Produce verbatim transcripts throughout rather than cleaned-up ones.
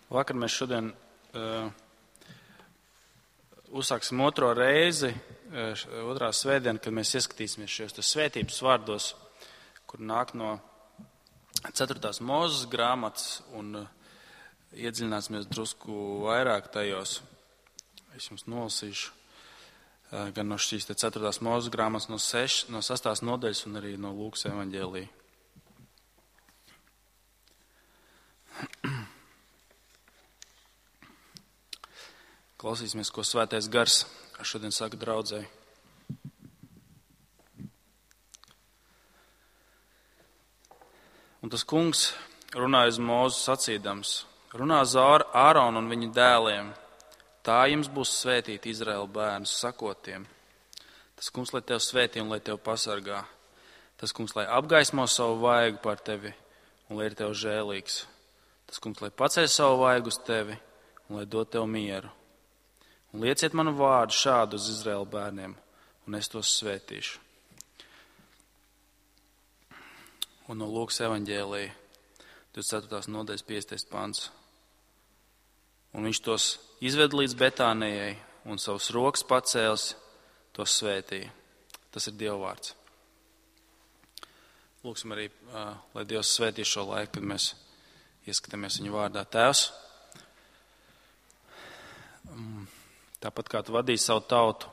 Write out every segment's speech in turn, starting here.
Vakar mēs šodien uh, uzsāksim otro reizi, uh, otrā svētdiena, kad mēs ieskatīsimies šajos svētības vārdos, kur nāk no ceturtās Mūzes grāmatas un uh, iedziļināsimies drusku vairāk tajos. Es jums nolasīšu uh, gan no šīs ceturtās Mūzes grāmatas, no, seš, no sastās nodaļas un arī no Lūkas evaņģēlija. Klausīsimies, ko Svētais Gars šodien saka draudzei. Un tas kungs runāja uz Mūzu sacīdams: runā uz Āronu un viņa dēliem, tā jums būs svētīti Izraēla bērnus, sakot tiem: tas kungs, lai tev svētī un lai tev pasargā. Tas kungs, lai apgaismo savu vaigu par tevi un lai ir tev žēlīgs. Tas kungs, lai paceļ savu vaigu uz tevi un lai dod tev mieru. Un lieciet manu vārdu šādu uz Izraēla bērniem, un es tos svētīšu. Un no Lūkas evaņģēlija, divdesmit ceturtās nodaļas piecdesmitais pants. Un viņš tos izved līdz Betānijai, un savus rokas pacēlis, tos svētīja. Tas ir Dieva vārds. Lūksim arī, lai Dievs svētī šo laiku, kad mēs ieskatāmies viņa vārdā. Tēvs, tāpat kā tu vadīji savu tautu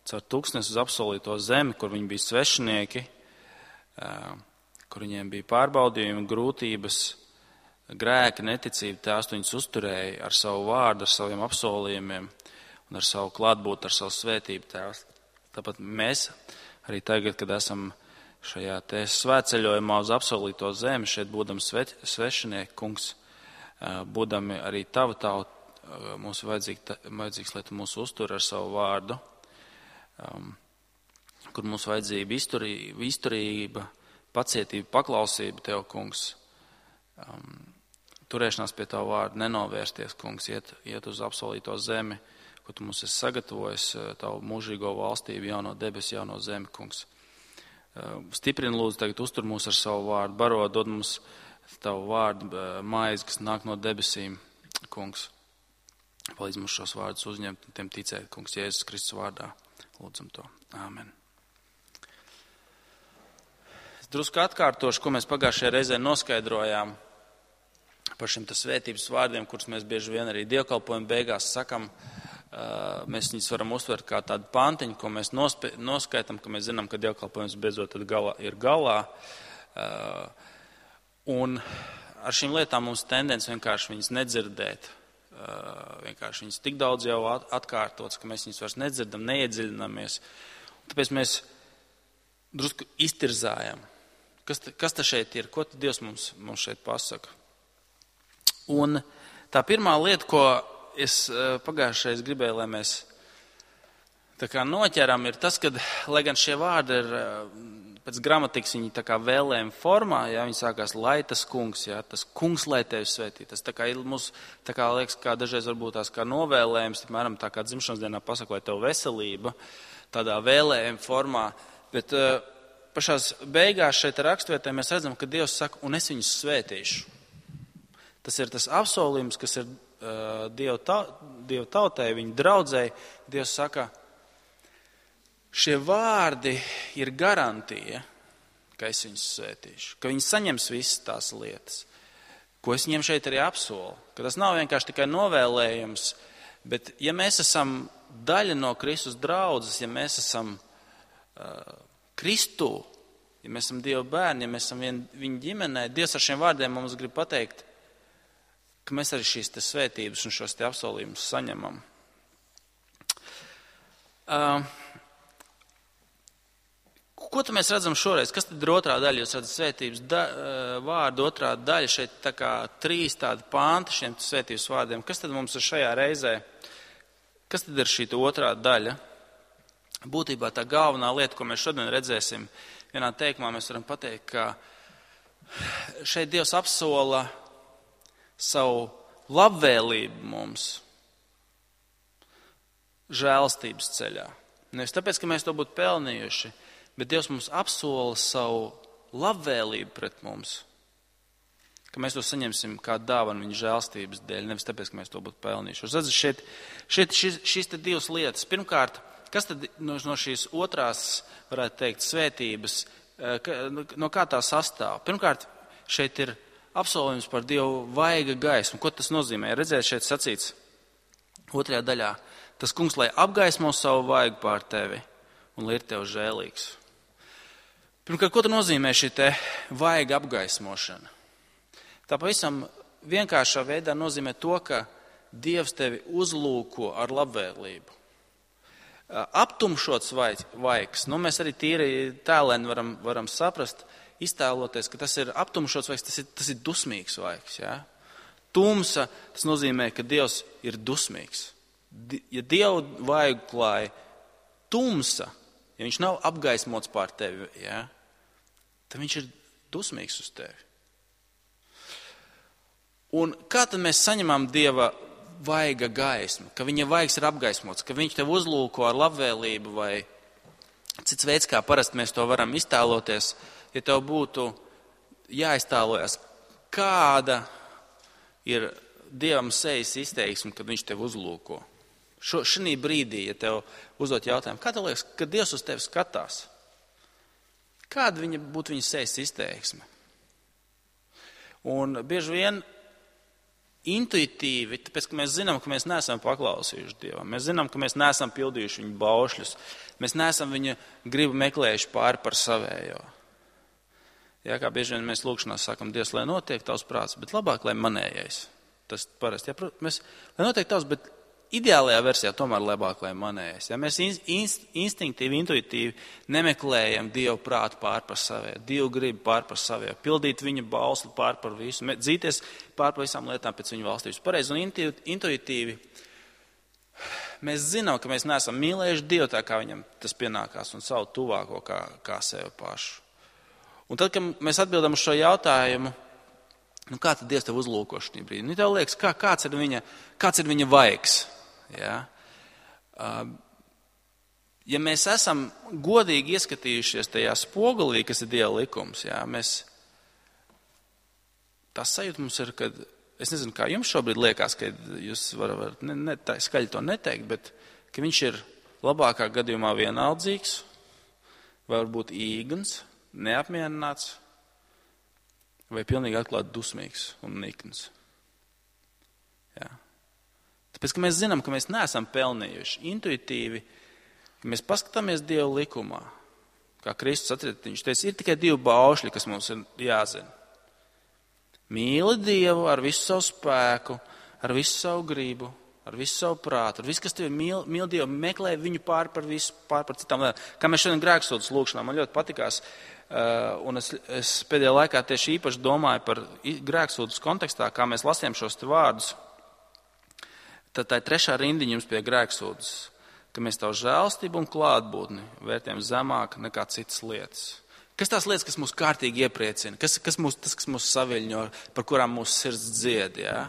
caur tūkstnesi uz apsolīto zemi, kur viņi bija svešinieki, kur viņiem bija pārbaudījumi, grūtības, grēki, neticība, tēvs tu viņus uzturēja ar savu vārdu, ar saviem apsolījumiem un ar savu klātbūtni, ar savu svētību, tēvs. Tāpat mēs arī tagad, kad esam šajā te svētceļojumā uz apsolīto zemi, šeit būdami svešinieki, kungs, būdami arī tava tauta, mums ir vajadzīgs, vajadzīgs, lai tu mūs uztur ar savu vārdu, um, kur mums vajadzība izturība, izturība, pacietība, paklausība tev, kungs, um, turēšanās pie tavu vārdu, nenovērsties, kungs, iet, iet uz apsolīto zemi, ko tu mums esi sagatavojis, tavu mūžīgo valstību, jauno debesu, jauno zemi, kungs. Uh, stiprini lūdzu tagad uztur mūs ar savu vārdu, baro, dod mums tavu vārdu maizi, kas nāk no debesīm, kungs. Palīdz mums šos vārdus uzņemt un tiem ticēt, kungs, Jēzus Kristus vārdā. Lūdzam to. Āmen. Es drusku atkārtošu, ko mēs pagājušajā reizē noskaidrojām par šiem tas svētības vārdiem, kurus mēs bieži vien arī dievkalpojuma beigās sakam. Mēs viņus varam uztvert kā tādu pantiņu, ko mēs nospē, noskaitam, ka mēs zinām, ka dievkalpojums beidzot tad galā, ir galā. Un ar šīm lietām mums tendence vienkārši viņas nedzirdēt. Uh, vienkārši viņas tik daudz jau atkārtotas, ka mēs viņas vairs nedzirdam, neiedziļinamies. Un tāpēc mēs drusku iztirzājam. Kas, ta, kas ta šeit ir? Ko tad Dievs mums, mums šeit pasaka? Un tā pirmā lieta, ko es uh, pagājušais gribēju, lai mēs tā kā noķeram, ir tas, ka, lai gan šie vārdi ir uh, pēc gramatikas viņi tā kā vēlējuma formā, ja viņi sākās lai tas kungs, ja, tas kungs, lai tevi svētī. Tas tā kā ir mums, tā kā liekas, kā dažreiz varbūt tās kā novēlējums, piemēram, tā kā dzimšanas dienā pasaka, lai tev veselība, tādā vēlējuma formā. Bet uh, pašās beigās šeit rakstvietē mēs redzam, ka Dievs saka, un es viņus svētīšu. Tas ir tas apsolījums, kas ir uh, Dievu, ta, Dievu tautai, viņa draudzei. Dievs saka, šie vārdi ir garantija, ka es viņus svētīšu, ka viņi saņems visas tās lietas, ko es viņiem šeit arī apsolu, ka tas nav vienkārši tikai novēlējums, bet ja mēs esam daļa no Kristus draudzes, ja mēs esam uh, Kristū, ja mēs esam Dieva bērni, ja mēs esam vien, viņa ģimenē, Dievs ar šiem vārdiem mums grib pateikt, ka mēs arī šīs te svētības un šos te apsolījumus saņemam. Uh, Ko tad mēs redzam šoreiz? Kas tad ir otrā daļa? Jūs redzat svētības da, vārdu otrā daļa, šeit tā kā trīs tādi panti šiem svētības vārdiem. Kas tad mums ir šajā reizē? Kas tad ir šī otrā daļa? Būtībā tā galvenā lieta, ko mēs šodien redzēsim, vienā teikumā mēs varam pateikt, ka šeit Dievs apsola savu labvēlību mums žēlstības ceļā. Nevis tāpēc, ka mēs to būtu pelnījuši, bet Dievs mums apsola savu labvēlību pret mums, ka mēs to saņemsim kā dāvanu viņa žēlstības dēļ, nevis tāpēc, ka mēs to būtu pelnījuši. Redz, šeit, šeit šis, šis te divas lietas. Pirmkārt, kas tad no, no šīs otrās, varētu teikt, svētības, no kā tā sastāv? Pirmkārt, šeit ir apsolījums par Dievu vaiga gaismu. Ko tas nozīmē? Redzēt, šeit sacīts otrajā daļā. Tas kungs, lai apgaismo savu vaigu pār tevi un lai ir tev žēlīgs. Pirmkārt, ko tas nozīmē šī te vaiga apgaismošana? Tā pavisam vienkāršā veidā nozīmē to, ka Dievs tevi uzlūko ar labvēlību. Aptumšots vaigs, nu mēs arī tīri tēlēni varam, varam saprast, iztēloties, ka tas ir aptumšots vaigs, tas ir, tas ir dusmīgs vaigs. Ja? Tumsa, tas nozīmē, ka Dievs ir dusmīgs. Ja Dievu vaigu klāja tumsa, ja viņš nav apgaismots pār tevi, ja, tad viņš ir dusmīgs uz tevi. Un kā tad mēs saņemam Dieva vaiga gaismu, ka viņa vaigs ir apgaismots, ka viņš tev uzlūko ar labvēlību vai cits veids, kā parasti mēs to varam iztēloties, ja tev būtu jāiztēlojas, kāda ir Dievam sejas izteiksme, kad viņš tev uzlūko. Šo, šī brīdī, ja tev uzdot jautājumu, kā tev liekas, kad Dievs uz tevi skatās, kāda viņa būtu viņa sejas izteiksme? Un bieži vien intuitīvi, tāpēc, ka mēs zinām, ka mēs neesam paklausījuši Dievam, mēs zinām, ka mēs neesam pildījuši viņa baušļus, mēs neesam viņa gribu meklējuši pāri par savējo. Jā, kā bieži vien mēs lūkšanās sakam, Dievs, lai notiek tavs prāts, bet labāk, lai manējais. Tas parasti, jā, mēs, lai notiek tavs, bet ideālajā versijā tomēr labāk, lai manējais. Ja mēs inst, instinktīvi, intuitīvi nemeklējam Dievu prātu pār par savēju, Dievu gribu pār par savēju, pildīt viņa bausli pār par visu, dzīties pār par visām lietām pēc viņa valstības. Pareizi un intuitīvi mēs zinām, ka mēs neesam mīlējuši Dievu tā, kā viņam tas pienākās, un savu tuvāko kā, kā sevi pašu. Un tad, kad mēs atbildam uz šo jautājumu, nu kā tad Dievs tev uzlūko šī brīdī? Nu, tev liekas, kā, kāds ir viņa, kāds ir viņa vaigs? Ja? Ja mēs esam godīgi ieskatījušies tajā spogulī, kas ir Dieva likums, ja, mēs, tas sajūta mums ir, kad, es nezinu, kā jums šobrīd liekas, ka jūs varat, varat ne, ne, tā, skaļi to neteikt, bet ka viņš ir labākā gadījumā vienaldzīgs, vai varbūt īgans, neapmierināts, vai pilnīgi atklāti dusmīgs un nikns. Jā. Tāpēc, ka mēs zinām, ka mēs neesam pelnījuši intuitīvi, ka mēs paskatāmies Dieva likumā. Kā Kristus atcerēt, viņš teica, ir tikai divi baušļi, kas mums ir jāzina. Mīli Dievu ar visu savu spēku, ar visu savu gribu, ar visu savu prātu, ar visu, kas tev ir mīl, mīl Dievu, meklē viņu pār par visu, pār par citām lietām. Kā mēs šodien grēksūdzes lūkšanā, man ļoti patikās, Uh, un es, es pēdējā laikā tieši īpaši domāju par grēksūdzes kontekstā, kā mēs lasījām šos te vārdus. Tad tā ir trešā rindiņa jums pie grēksūdzes, ka mēs tavu žēlstību un klātbūtni vērtējam zemāk nekā citas lietas. Kas tās lietas, kas mūs kārtīgi iepriecina, kas, kas mūs, tas, kas mūs saviļņo, par kurām mūsu sirds dzied, jā?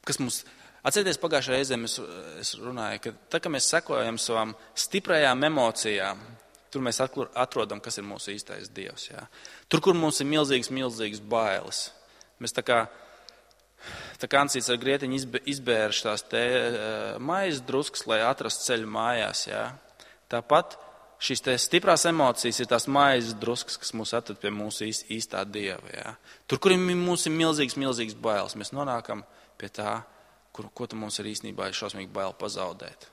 Kas mūs, atcerieties, pagājušajā reizē es, es runāju, ka tā, ka mēs sekojam savām stiprajām emocijām, tur mēs atrodam, kas ir mūsu īstais Dievs. Jā. Tur, kur mums ir milzīgas, milzīgas bailes. Mēs tā kā, tā kā Ansīts ar grietiņu izbērš tās te maizes druskas, lai atrastu ceļu mājās. Jā. Tāpat šīs te stiprās emocijas ir tās maizes druskas, kas mūs atrod pie mūsu īstā Dieva. Jā. Tur, kur mums ir milzīgas, milzīgas bailes, mēs nonākam pie tā, kur, ko tu mums ir īstenībā ir šausmīgi bail pazaudēt.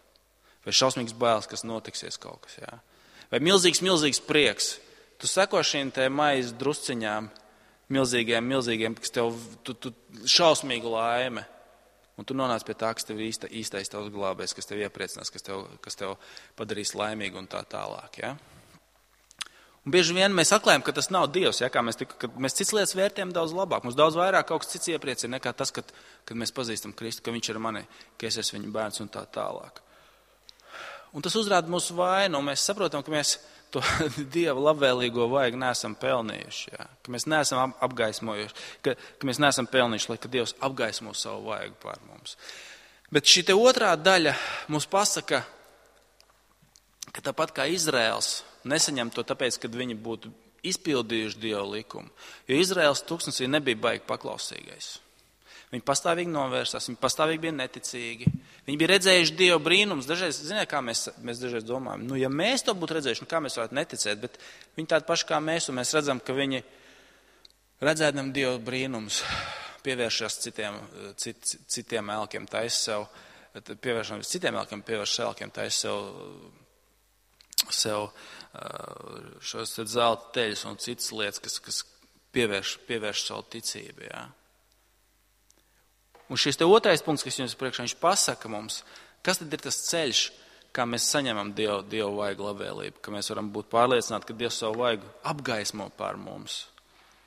Vai šausmīgs bailes, kas notiksies kaut kas. Jā. Vai milzīgs, milzīgs prieks. Tu seko šīm te maizes drusciņām, milzīgiem, milzīgiem, kas tev tu, tu, šausmīgu laime. Un tu nonāc pie tā, kas tev ir īsta, īstais tavs glābējs, kas tev iepriecinās, kas tev, kas tev padarīs laimīgu un tā tālāk. Ja? Un bieži vien mēs atklājam, ka tas nav Dievs, ja? Kā mēs, tik, mēs cits lietas vērtējam daudz labāk. Mums daudz vairāk kaut kas cits iepriecina nekā tas, kad, kad mēs pazīstam Kristu, ka viņš ir mani, ka es esmu viņa bērns un tā tālāk. Un tas uzrāda mūsu vainu, un mēs saprotam, ka mēs to Dieva labvēlīgo vaigu neesam pelnījuši. Jā. Ka mēs neesam apgaismojuši, ka, ka mēs neesam pelnījuši, lai ka Dievs apgaismo savu vaigu pār mums. Bet šī te otrā daļa mums pasaka, ka tāpat kā Izraels nesaņem to tāpēc, ka viņi būtu izpildījuši Dieva likumu. Jo Izraēlas tūkstnesī nebija baigi paklausīgais. Viņi pastāvīgi novērsās, viņi pastāvīgi bija neticīgi. Viņi bija redzējuši Dieva brīnums. Dažreiz, ziniet, kā mēs, mēs dažreiz domājam, nu, ja mēs to būtu redzējuši, nu, kā mēs varētu neticēt, bet viņi tādi paši kā mēs, un mēs redzam, ka viņi redzēdam Dieva brīnums, pievēršas citiem, cit, citiem elkiem, taisa sev, pievēršam citiem elkiem, pievērš elkiem, taisa sev, sev šos zelta teļus un citas lietas, kas, kas pievērš, pievērš savu ticību, jā. Un šis te otrais punkts, kas jums priekšā, viņš pasaka mums, kas tad ir tas ceļš, kā mēs saņemam Dievu, Dievu vaigu labvēlību, ka mēs varam būt pārliecināti, ka Dievs savu vaigu apgaismo pār mums.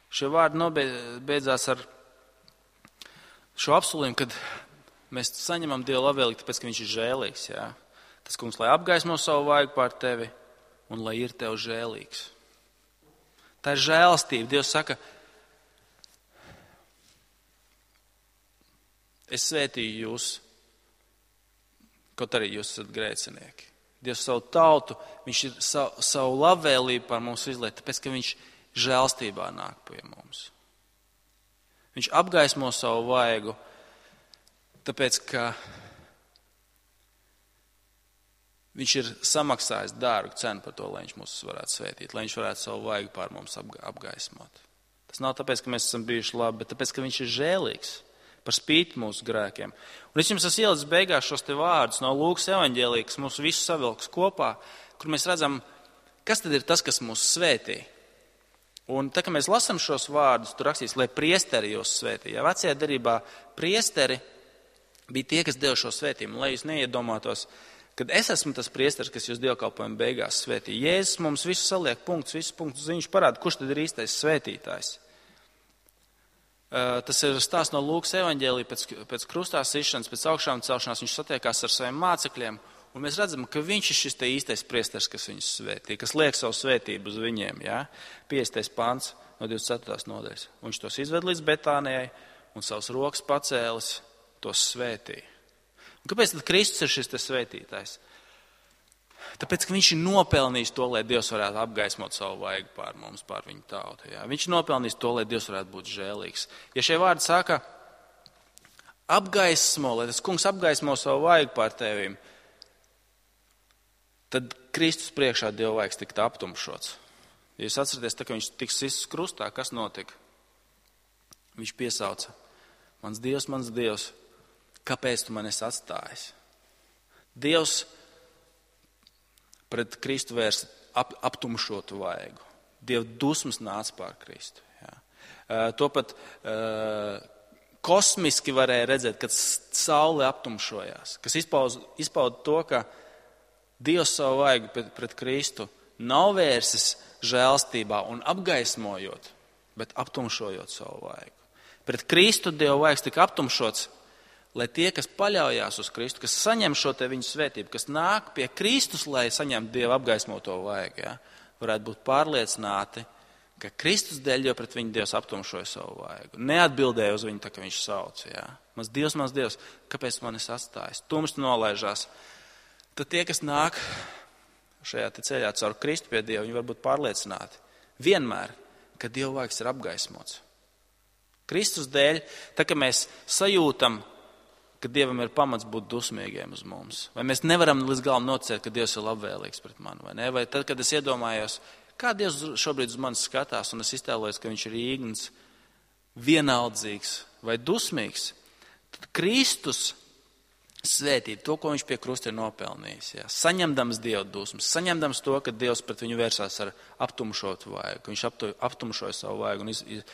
Šie vārdi nobeidzās ar šo apsolījumu, kad mēs saņemam Dievu labvēlību, tāpēc, ka viņš ir žēlīgs. Jā. Tas kungs, lai apgaismo savu vaigu pār tevi un lai ir tev žēlīgs. Tā ir žēlastība. Dievs saka, es svētīju jūs, kaut arī jūs esat grēcinieki. Dievs savu tautu, viņš ir savu, savu labvēlību par mums izliet, tāpēc, ka viņš žēlstībā nāk pie mums. Viņš apgaismo savu vaigu, tāpēc, ka viņš ir samaksājis dārgu cenu par to, lai viņš mūs varētu svētīt, lai viņš varētu savu vaigu pār mums apgaismot. Tas nav tāpēc, ka mēs esam bijuši labi, bet tāpēc, ka viņš ir žēlīgs. Par spīti mūsu grēkiem. Un es jums esmu ielicis beigās šos te vārdus no Lūkas evaņģēlija, kas mūs visus savilks kopā, kur mēs redzam, kas tad ir tas, kas mūs svētī. Un tā, ka mēs lasam šos vārdus, tur rakstīs, lai priesteri jūs svētī. Ja vecajā derībā priesteri bija tie, kas deva šo svētījumu, lai jūs neiedomātos, kad es esmu tas priesteris, kas jūs dievkalpojuma beigās svētī. Jēzus mums visu saliek punktus, visus punktus ziņš parāda, kurš tad ir īstais svētītājs. Tas ir stāsts no Lūkas evaņģēlija pēc, pēc krustā sišanas, pēc augšām celšanās. Viņš satiekās ar saviem mācekļiem, un mēs redzam, ka viņš ir šis te īstais priesteris, kas viņus svētī, kas liek savu svētību uz viņiem. Ja? piecdesmitais pants no divdesmit ceturtās nodaļas. Viņš tos izved līdz Betānijai un savus rokas pacēlis, tos svētī. Un kāpēc tad Kristus ir šis te svētītājs? Tāpēc, ka viņš ir nopelnījis to, lai Dievs varētu apgaismot savu vaigu pār mums, pār viņu tautu. Jā. Viņš ir nopelnījis to, lai Dievs varētu būt žēlīgs. Ja šie vārdi saka, apgaismo, lai tas kungs apgaismo savu vaigu pār tevīm, tad Kristus priekšā Dieva vaigs tika aptumšots. Ja jūs atceraties, tā, ka viņš tiks sists krustā, kas notika? Viņš piesauca, mans Dievs, mans Dievs, kāpēc tu man esi atstājis? Dievs pret Kristu vērs ap, aptumšotu vaigu. Dieva dusmas nāca pār Kristu. Jā. Uh, to pat uh, kosmiski varēja redzēt, kad saule aptumšojās, kas izpauda, izpauda to, ka Dievs savu vaigu pret, pret Kristu nav vērsis žēlstībā un apgaismojot, bet aptumšojot savu vaigu. Pret Kristu Dieva vaigs tika aptumšots, lai tie, kas paļaujās uz Kristu, kas saņem šo te viņu svētību, kas nāk pie Kristus, lai saņemtu Dieva apgaismoto vaigu, ja, varētu būt pārliecināti, ka Kristus dēļ jau pret viņu Dievs aptumšoja savu vaigu. Neatbildēja uz viņu tā, ka viņš sauc. Ja. Mans Dievs, mans Dievs, kāpēc man es atstājis? Tumsts nolaižās. Tad tie, kas nāk šajā te ceļā caur Kristu pie Dieva, viņi var būt pārliecināti vienmēr, ka Dieva vaigs ir apgaismots. Kristus dēļ, tā ka mēs sajūtam, ka Dievam ir pamats būt dusmīgiem uz mums. Vai mēs nevaram līdz galam noticēt, ka Dievs ir labvēlīgs pret mani, vai ne? Vai tad, kad es iedomājos, kā Dievs šobrīd uz mani skatās, un es iztēlojos, ka viņš ir īgns, vienaldzīgs vai dusmīgs, tad Kristus svētīt to, ko viņš pie krusta ir nopelnījis. Jā. Saņemdams Dieva dusmas, saņemdams to, ka Dievs pret viņu vērsās ar aptumšotu vaigu, ka viņš aptumšoja savu vaigu un iz, iz,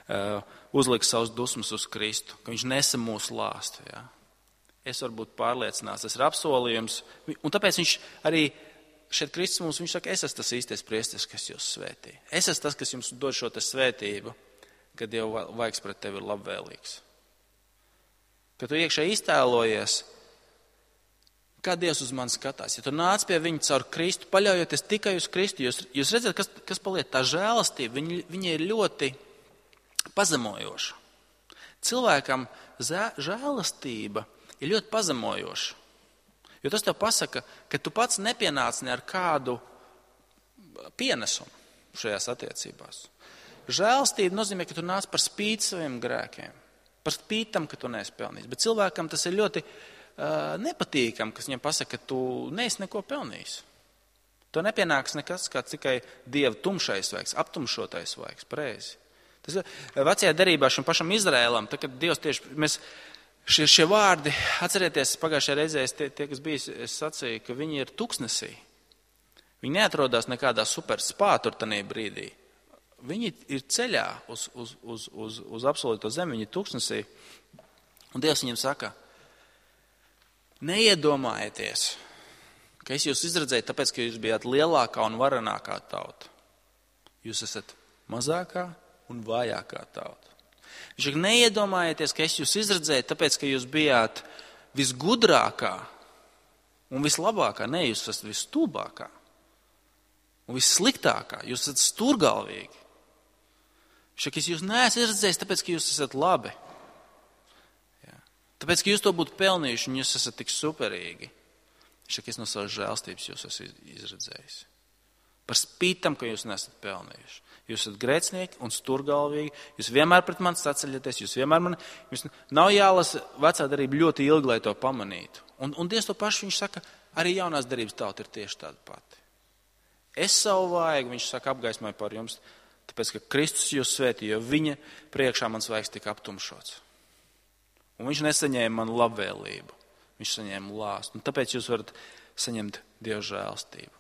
Uh, uzliks savus dusmas uz Kristu, ka viņš nesa mūsu lāstu. Ja. Es varu būt pārliecināts, tas ir apsolījums, un tāpēc viņš arī šeit Kristus mums, viņš saka, es esmu tas īstais priesteris, kas jūs svētī. Es esmu tas, kas jums dod šo te svētību, ka Dieva vaigs pret tevi ir labvēlīgs. Kad tu iekšā iztēlojies, kā Dievs uz mani skatās, ja tu nāc pie viņa caur Kristu, paļaujoties tikai uz Kristu, jūs, jūs redzat, kas, kas paliek tā žēlastība, viņa, viņa ir ļoti pazemojoša. Cilvēkam žēlastība ir ļoti pazemojoša. Jo tas tev pasaka, ka tu pats nepienāc ne ar kādu pienesumu. šajās attiecībās. Žēlastība nozīmē, ka tu nāc par spīti saviem grēkiem, par spīti tam, ka tu neesi pelnījis. Bet cilvēkam tas ir ļoti uh, nepatīkam, kas viņam pasaka, ka tu neesi neko pelnījis. To nepienāks nekas, kā tikai Dieva tumšais vaigs, aptumšotais vaigs, pareizi. Tas ir vecajā derībā šim pašam Izraēlam, tā, kad Dievs tieši, mēs šie, šie vārdi, atcerieties, pagājušajā reizē, tie, tie, kas bija, es sacīju, ka viņi ir tuksnesī. Viņi neatrodās nekādā super spā tur tanī brīdī. Viņi ir ceļā uz, uz, uz, uz, uz absolūto zemi, viņi ir tuksnesī. Un Dievs viņiem saka, neiedomājieties, ka es jūs izredzēju tāpēc, ka jūs bijāt lielākā un varenākā tauta. Jūs esat mazākā un vājākā tauta. Viņš saka, neiedomājieties, ka es jūs izredzēju tāpēc, ka jūs bijāt visgudrākā un vislabākā. Nē, jūs esat visstulbākā un vissliktākā. Jūs esat stūrgalvīgi. Viņš saka, es jūs neesmu izredzējis tāpēc, ka jūs esat labi. Jā. Tāpēc, ka jūs to būtu pelnījuši un jūs esat tik superīgi. Viņš saka, es no savas žēlstības jūs esmu izredzējis. Par spītam, ka jūs nesat pelnījuši. Jūs esat grēcinieki un sturgalvīgi, jūs vienmēr pret mani saceļaties, jūs vienmēr mani, jums nav jālasa vecā darība ļoti ilgi, lai to pamanītu. Un, un Dievs to pašu, viņš saka, arī jaunās darības tauta ir tieši tāda pati. Es savu vaigu, viņš saka, apgaismoju par jums, tāpēc, ka Kristus jūs svētī, jo viņa priekšā mans vaigs tika aptumšots. Un viņš nesaņēma manu labvēlību. Viņš saņēma lāstu. Un tāpēc jūs varat saņemt Dieva žēlstību.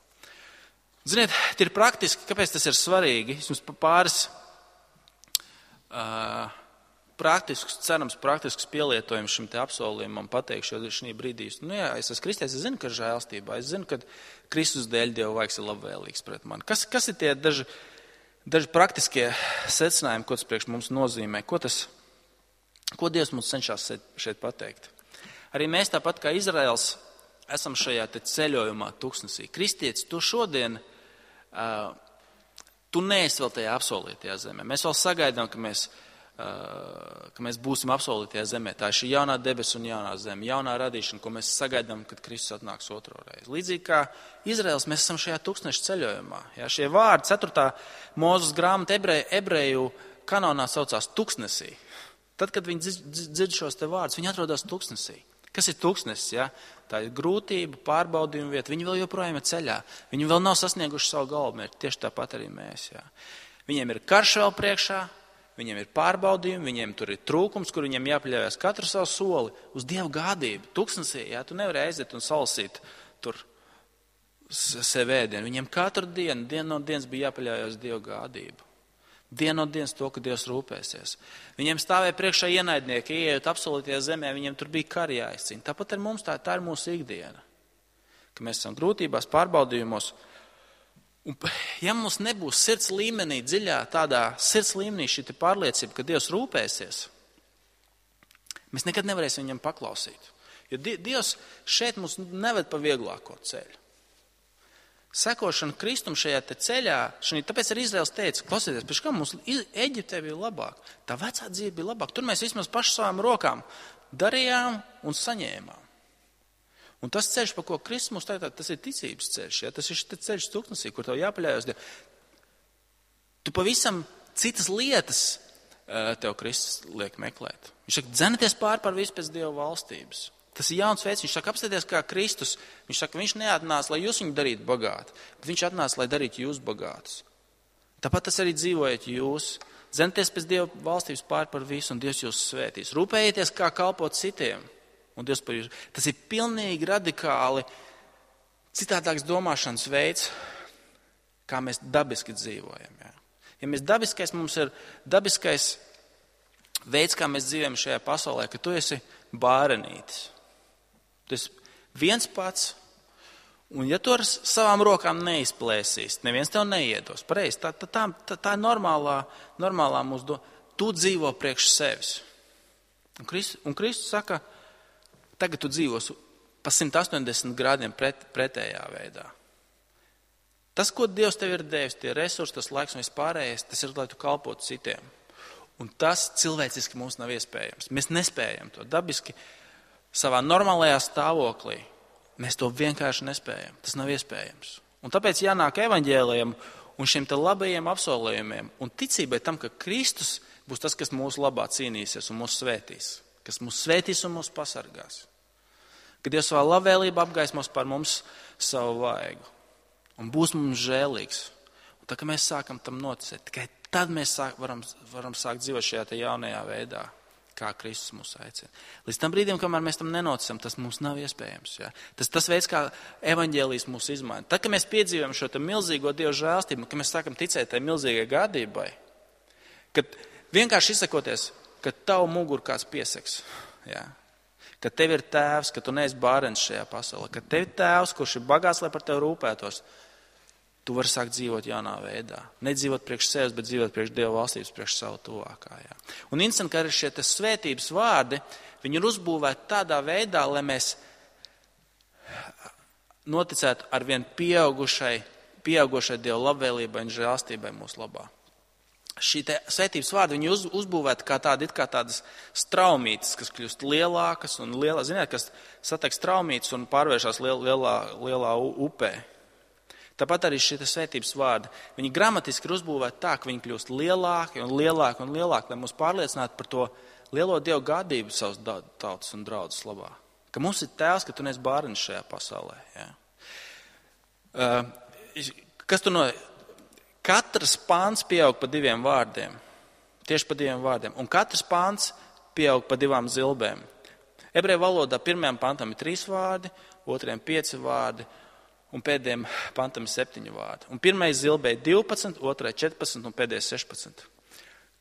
Ziniet, tie ir praktiski, kāpēc tas ir svarīgi. Es jums pāris uh, praktiskus, cerams, praktiskus pielietojumus šim te apsolījumam pateikšu, jo šī brīdī, nu jā, es esmu kristietis, es zinu, ka žēlstībā, es zinu, ka Kristus dēļ Dieva vaigs ir labvēlīgs pret mani. Kas, kas ir tie daži, daži praktiskie secinājumi, ko tas priekš mums nozīmē? Ko tas, ko Dievs mums cenšas šeit pateikt? Arī mēs tāpat kā Izraels esam šajā te ceļojumā tuksnesī. Kristietis, tu šodien, uh, tu neesi vēl tajā apsolītajā zemē. Mēs vēl sagaidām, ka mēs, uh, ka mēs būsim apsolītajā zemē. Tā ir šī jaunā debes un jaunā zeme, jaunā radīšana, ko mēs sagaidām, kad Kristus atnāks otro reizi. Līdzīgi kā Izraels, mēs esam šajā tuksneša ceļojumā. Jā, šie vārdi, ceturtā Mūzes grāmata ebreju, ebreju kanonā saucās tuksnesī. Tad, kad viņi dzird šos te vārdus, viņi atrodas tuksnesī. Kas ir tuksnesis? Ja? Tā ir grūtība, pārbaudījuma vieta. Viņi vēl joprojām ir ceļā. Viņi vēl nav sasnieguši savu galamērķi. Tieši tāpat arī mēs. Ja? Viņiem ir karš vēl priekšā, viņiem ir pārbaudījumi, viņiem tur ir trūkums, kur viņiem jāpaļaujas katru savu soli uz Dieva gādību. Tuksnesī, ja? Tu nevari aiziet un salasīt tur sev ēdienu. Viņiem katru dienu, dienu no dienas bija jāpaļaujas Dieva gādību. Dienu no dienas to, ka Dievs rūpēsies. Viņiem stāvēja priekšā ienaidnieki, ieejot absolūtajā zemē, viņiem tur bija kari jāizcīna. Tāpat ar mums tā, tā ir mūsu ikdiena. Ka mēs esam grūtībās, pārbaudījumos. Un, ja mums nebūs sirds līmenī, dziļā tādā sirds līmenī šī pārliecība, ka Dievs rūpēsies, mēs nekad nevarēsim viņam paklausīt. Jo Dievs šeit mums neved pa vieglāko ceļu. Sekošana Kristum šajā te ceļā, šī, tāpēc arī Izraels teica, klausieties, pēc kā mums Eģiptē bija labāk, tā vecā dzīve bija labāk, tur mēs vismaz paši savām rokām darījām un saņēmām. Un tas ceļš, pa ko Kristus mums tagad, tas ir ticības ceļš, ja? Tas ir ceļš tuksnesī, kur tev jāpaļaujas. Tu pavisam citas lietas tev Kristus liek meklēt. Viņš saka, dzenieties pār par visu pēc Dieva valstības. Tas ir jauns veids. Viņš saka, apstieties kā Kristus. Viņš saka, viņš neatnāca, lai jūs viņu darītu bagāti, bet viņš atnāca, lai darītu jūs bagātus. Tāpat tas arī dzīvojat jūs. Dzenieties pēc Dieva valstības pār par visu, un Dievs jūs svētīs. Rūpējieties, kā kalpot citiem, un Dievs par jūs. Tas ir pilnīgi radikāli citādāks domāšanas veids, kā mēs dabiski dzīvojam. Jā. Ja mēs dabiskais, mums ir dabiskais veids, kā mēs dzīvojam šajā pasaulē, ka tu esi bārenītis. Tas viens pats, un ja tu ar savām rokām neizplēsīs, neviens tev neiedos. Pareizi, tā, tā, tā, tā, tā ir normālā, normālā mūsu doma. Tu dzīvo priekš sevis. Un Kristus, un Kristus saka, tagad tu dzīvos pa simt astoņdesmit grādiem pret, pretējā veidā. Tas, ko Dievs tev ir devis, tie resursi, tas laiks un vispārējais, tas ir, lai tu kalpotu citiem. Un tas cilvēciski mums nav iespējams. Mēs nespējam to dabiski. Savā normālajā stāvoklī mēs to vienkārši nespējam. Tas nav iespējams. Un tāpēc jānāk evaņģēlijam un šiem te labajiem apsolījumiem un ticībai tam, ka Kristus būs tas, kas mūsu labā cīnīsies un mūs svētīs, kas mūs svētīs un mūs pasargās. Kad Dievs savā labvēlībā apgaismos par mums savu vaigu un būs mums žēlīgs. Un tā, ka mēs sākam tam noticēt, tikai tad mēs sāk, varam, varam sākt dzīvot šajā te jaunajā veidā, kā Kristus mūs aicina. Līdz tam brīdim, kamēr mēs tam nenoticam, tas mums nav iespējams. Ja? Tas tas veids, kā evaņģēlijs mūs izmaina. Tad, kad mēs piedzīvojam šo te milzīgo Dieva žēlstību, kad mēs sākam ticēt tai milzīgai gādībai, kad vienkārši izsakoties, ka tavu muguru kāds pieseks, ja? Ka tev ir tēvs, ka tu neesi bārens šajā pasaulē, ka tev ir tēvs, kurš ir bagāts, lai par tevi rūpētos, tu vari sākt dzīvot jaunā veidā. Nedzīvot priekš sevis, bet dzīvot priekš Dieva valstības, priekš savu tuvākā. Jā. Un interesanti, ka arī šie svētības vārdi, viņi ir uzbūvēti tādā veidā, lai mēs noticētu ar vien pieaugušai, pieaugušai Dieva labvēlībai un žēlstībai mūsu labā. Šī te svētības vārdi, viņi uz, uzbūvēti kā tādi, it kā tādas straumītes, kas kļūst lielākas un lielā, ziniet, kas satiek straumītes un pārvēršās liel, lielā, lielā upē. Tāpat arī šie svētības vārdi, viņi gramatiski ir uzbūvēti tā, ka viņi kļūst lielāki un lielāki un lielāki, lai mūs pārliecinātu par to lielo Dievu gādību savas tautas un draudzes labā. Ka mums ir tēvs, ka tu neesi bārens šajā pasaulē. Ja? Uh, kas tu no... Katrs pāns pieaug pa diviem vārdiem, tieši pa diviem vārdiem, un katrs pāns pieaug pa divām zilbēm. Ebreju valodā pirmajam pantam ir trīs vārdi, otrajam pieci vārdi, un pēdējiem pantam ir septiņi vārdi. Un pirmais zilbē ir divpadsmit, otrai četrpadsmit un pēdējais sešpadsmit.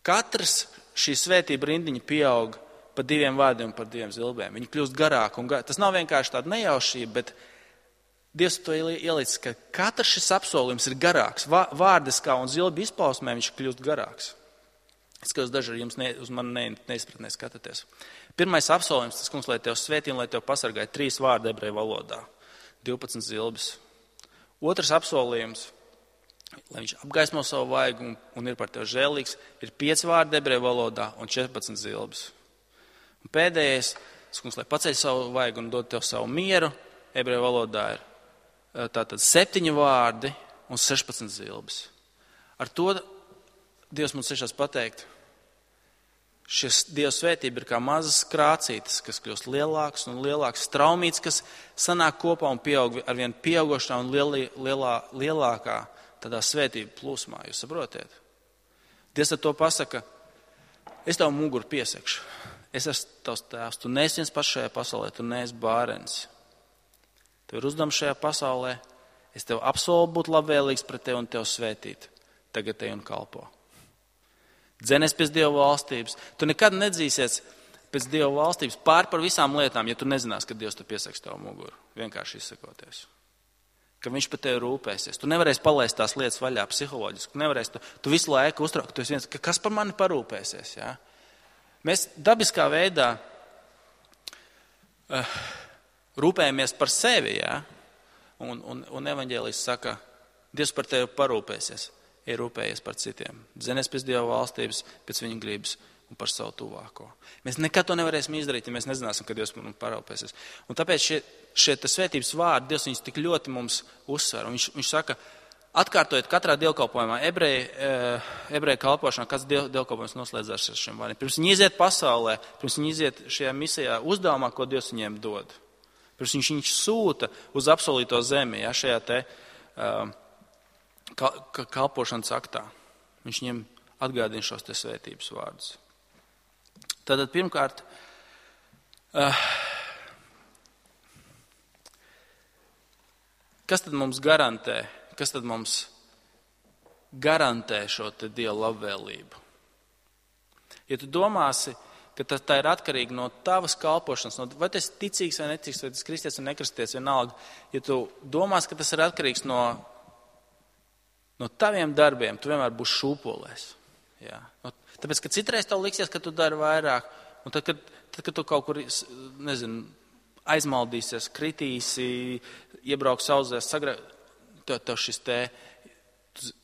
Katrs šī svētība rindiņa pieaug pa diviem vārdiem un par diviem zilbēm. Viņi kļūst garāki un garāki. Tas nav vienkārši tāda nejaušība, bet Dievs to ielicis, ka katrs šis apsolījums ir garāks. Vārdiskā un zilbi izpausmē viņš kļūst garāks. Es skatos daži ar jums ne, uz mani ne, neizpratnē skatāties. Pirmais apsolījums, tas kungs, lai tev svētī un lai tev pasargāja, trīs vārdi ebreju valodā. divpadsmit zilbis. Otrs apsolījums, lai viņš apgaismo savu vaigu un, un ir par tev žēlīgs, ir pieci vārdi ebreju valodā un četrpadsmit zilbis. Un pēdējais, tas kungs, lai paceļ savu vaigu un dod tev savu mieru, ebreju valodā ir tātad septiņi vārdi un sešpadsmit zilbis. Ar to Dievs mums cenšas pateikt, šis Dieva svētība ir kā mazas krācītes, kas kļūst lielākas un lielākas, straumītes, kas sanāk kopā un pieaug ar vien pieaugošā un lielī, lielā, lielākā tādā svētība plūsmā. Jūs saprotiet? Dievs ar to pasaka, es tavu muguru piesakšu. Es esmu tavs tēvs. Tu neesi viens pats šajā pasaulē, tu neesi bārens. Tev ir uzdevums šajā pasaulē, es tev apsolu būt labvēlīgs pret tevi un tev svētīt. Tagad te un kalpo. Dzenies pēc Dieva valstības. Tu nekad nedzīsies pēc Dieva valstības pār par visām lietām, ja tu nezinās, ka Dievs te piesaks tavu muguru. Vienkārši izsakoties. Ka viņš par tevi rūpēsies. Tu nevarēsi palaist tās lietas vaļā psiholoģiski. Nevarēsi, tu, tu visu laiku uztraukt. Tu esi viens, ka kas par mani parūpēsies. Ja? Mēs dabiskā veidā... Uh, Rūpējamies par sevi, jā, un, un, un evaņģēlijs saka, Dievs par tevi parūpēsies, ir rūpējies par citiem. Dzenies pēc Dieva valstības, pēc viņa gribas un par savu tuvāko. Mēs nekad to nevarēsim izdarīt, ja mēs nezināsim, ka Dievs mums parūpēsies. Un tāpēc šie, šie svētības vārdi, Dievs viņus tik ļoti mums uzsver. Viņš, viņš saka, atkārtojot katrā dievkalpojumā, ebreju, ebreju kalpošanā, kāds diev, dievkalpojums noslēdzās ar šiem vārdiem. Pirms viņi iziet pasaulē, pirms viņi iziet šajā misijā uzdevumā, ko Dievs viņiem dod. Pirms viņš viņš sūta uz apsolīto zemi, ja, šajā te uh, kalpošanas aktā. Viņš viņiem atgādina šos te svētības vārdus. Tātad pirmkārt, uh, kas tad mums garantē, kas tad mums garantē šo te Dieva labvēlību? Ja tu domāsi, ka tā, tā ir atkarīga no tavas kalpošanas, no, vai tas ir ticīgs vai neticīgs, vai tas kristietis vai nekristietis, vienalga. Ja tu domās, ka tas ir atkarīgs no, no taviem darbiem, tu vienmēr būsi šūpolēs. Jā. No, tāpēc, ka citreiz tev liksies, ka tu dari vairāk, un tad, kad, tad, kad tu kaut kur, nezinu, aizmaldīsies, kritīsi, iebrauks auzēs, sagra... tev, tev šis te...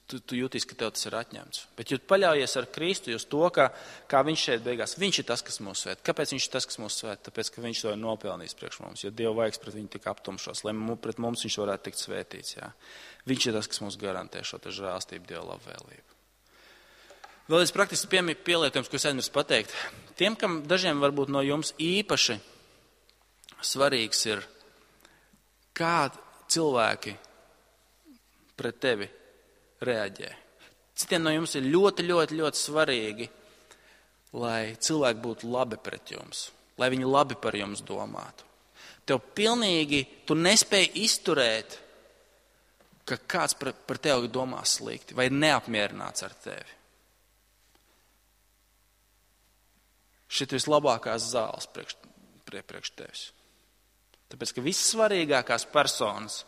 Tu, tu jūtīsi, ka tev tas ir atņemts. Bet, ja tu paļaujies ar Kristu uz to, kā, kā viņš šeit beigās, viņš ir tas, kas mūs svēt. Kāpēc viņš ir tas, kas mūs svēt? Tāpēc, ka viņš to ir nopelnījis priekš mums, jo Dieva vaigs pret viņu tika aptumšos, lai pret mums viņš varētu tikt svētīts. Jā. Viņš ir tas, kas mums garantē šo te žēlastību, Dieva labvēlību. Vēl viens praktisks pielietojums, ko es aizmirsu pateikt. Tiem, kam dažiem varbūt no jums īpaši svarīgs ir, kā cilvēki pret tevi reaģē. Citiem no jums ir ļoti, ļoti, ļoti svarīgi, lai cilvēki būtu labi pret jums, lai viņi labi par jums domātu. Tev pilnīgi, tu nespēji izturēt, ka kāds par, par tevi domā slikti vai neapmierināts ar tevi. Šit vislabākās zāles priekš, priekš tevis. Tāpēc, ka vissvarīgākās personas,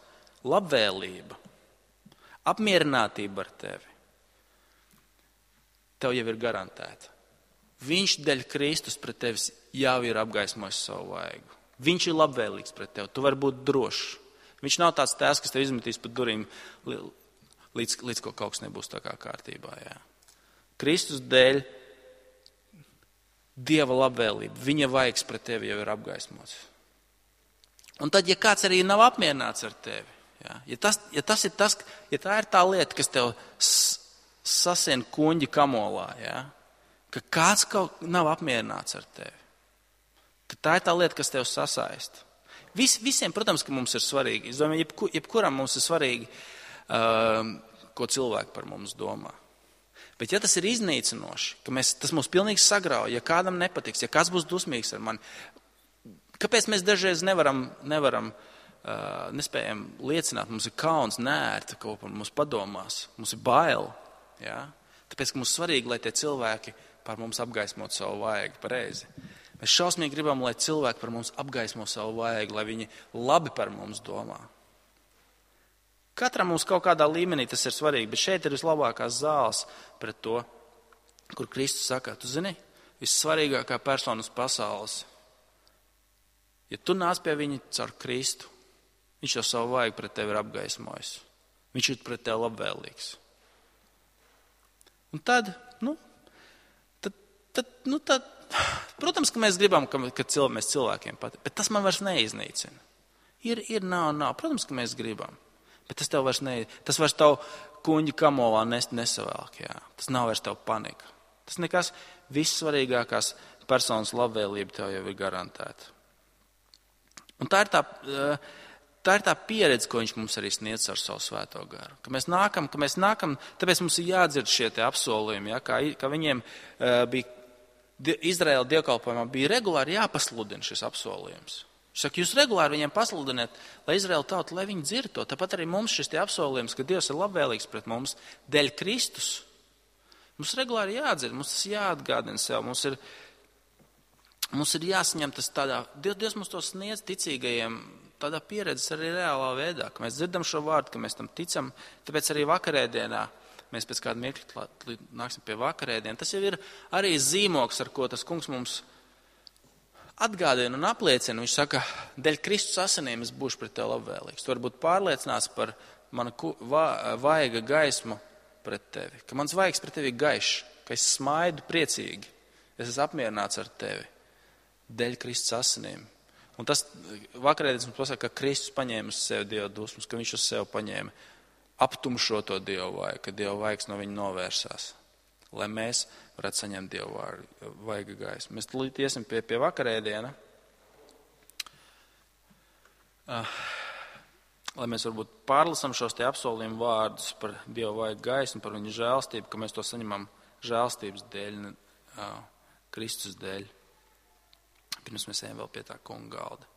labvēlība, apmierinātība ar tevi, tev jau ir garantēta. Viņš dēļ Kristus pret tevis jau ir apgaismojis savu vaigu. Viņš ir labvēlīgs pret tevi, tu vari būt drošs. Viņš nav tāds tēvs, kas tev izmetīs pa durīm, līdz, līdz ko kaut kas nebūs tā kā kārtībā. Jā. Kristus dēļ Dieva labvēlība, viņa vaigs pret tevi jau ir apgaismots. Un tad, ja kāds arī nav apmierināts ar tevi, jā, ja, tas, ja, tas ir tas, ja tā ir tā lieta, kas tev sasien kuņģi kamolā, jā, ka kāds kaut nav apmierināts ar tevi, tad tā ir tā lieta, kas tev sasaista. Vis, visiem, protams, ka mums ir svarīgi. Es domāju, jebku, jebkuram mums ir svarīgi, uh, ko cilvēki par mums domā. Bet ja tas ir iznīcinoši, ka mēs, tas mūs pilnīgi sagrauj, ja kādam nepatiks, ja kāds būs dusmīgs ar mani, kāpēc mēs dažreiz nevaram, nevaram uh, nespējam liecināt, mums ir kauns, nērti, ko par mums padomās, mums ir bail, ja? Tāpēc, ka mums svarīgi, lai tie cilvēki par mums apgaismot savu vaigu pareizi. Mēs šausmīgi gribam, lai cilvēki par mums apgaismo savu vaigu, lai viņi labi par mums domā. Katram mums kaut kādā līmenī tas ir svarīgi, bet šeit ir vislabākās zāles pret to, kur Kristus saka, tu zini, vissvarīgākā persona uz pasaules. Ja tu nāc pie viņa caur Kristu, viņš jau savu vaigu pret tevi ir apgaismojis. Viņš ir pret tevi labvēlīgs. Un tad, nu, tad, tad, nu, tad, protams, ka mēs gribam, ka, ka cilvē, mēs cilvēkiem patīk, bet tas man vairs neiznīcina. Ir, ir, nav, nav. Protams, ka mēs gribam. Bet tas tev vairs ne, tas vairs tavu kuņģi kamolā nest nesavēlk, jā. Tas nav vairs tev panika. Tas nekas vissvarīgākās personas labvēlība tev jau ir garantēta. Un tā ir tā, tā ir tā pieredze, ko viņš mums arī sniedz ar savu svēto garu. Ka mēs nākam, ka mēs nākam, tāpēc mums ir jādzird šie te apsolījumi, jā, kā, kā viņiem uh, bija Izraēla dievkalpojumā, bija regulāri jāpasludina šis apsolījums. Viņš saka, jūs regulāri viņiem pasludiniet, lai Izraēla tauta, lai viņi dzird to. Tāpat arī mums šis tie apsolījums, ka Dievs ir labvēlīgs pret mums dēļ Kristus. Mums regulāri jādzird, mums tas jāatgādina sev, mums ir, mums ir jāsaņem tas tādā, Dievs mums to sniedz ticīgajiem, tādā pieredzes arī reālā veidā, ka mēs dzirdam šo vārdu, ka mēs tam ticam, tāpēc arī vakarēdienā, mēs pēc kāda mirkļa nāksim pie vakarēdiena. Tas jau ir arī zīmoks, ar ko tas kungs mums atgādina un apliecina. Viņš saka, dēļ Kristus asinīm es būšu pret tevi labvēlīgs. Tu vari būt pārliecināts par manu vaiga gaismu pret tevi. Ka mans vaigs pret tevi ir gaišs, ka es smaidu priecīgi. Es esmu apmierināts ar tevi. Dēļ Kristus asinīm. Un tas vakarēdienas mums pasaka, ka Kristus paņēma uz sevi Dieva dusmas, ka viņš uz sevi paņēma aptumšo to Dieva vaigu, ka Dieva vaigs no viņa novērsās. Lai mēs varētu saņemt Dieva vaiga gaismu. Mēs tulīt iesim pie, pie vakarēdiena, uh, lai mēs varbūt pārlasam šos te apsolījumu vārdus par Dieva vaiga gaismu, par viņa žēlstību, ka mēs to saņemam žēlstības dēļ, uh, Kristus dēļ. Pirms mēs ejam vēl pie tā kunga galda.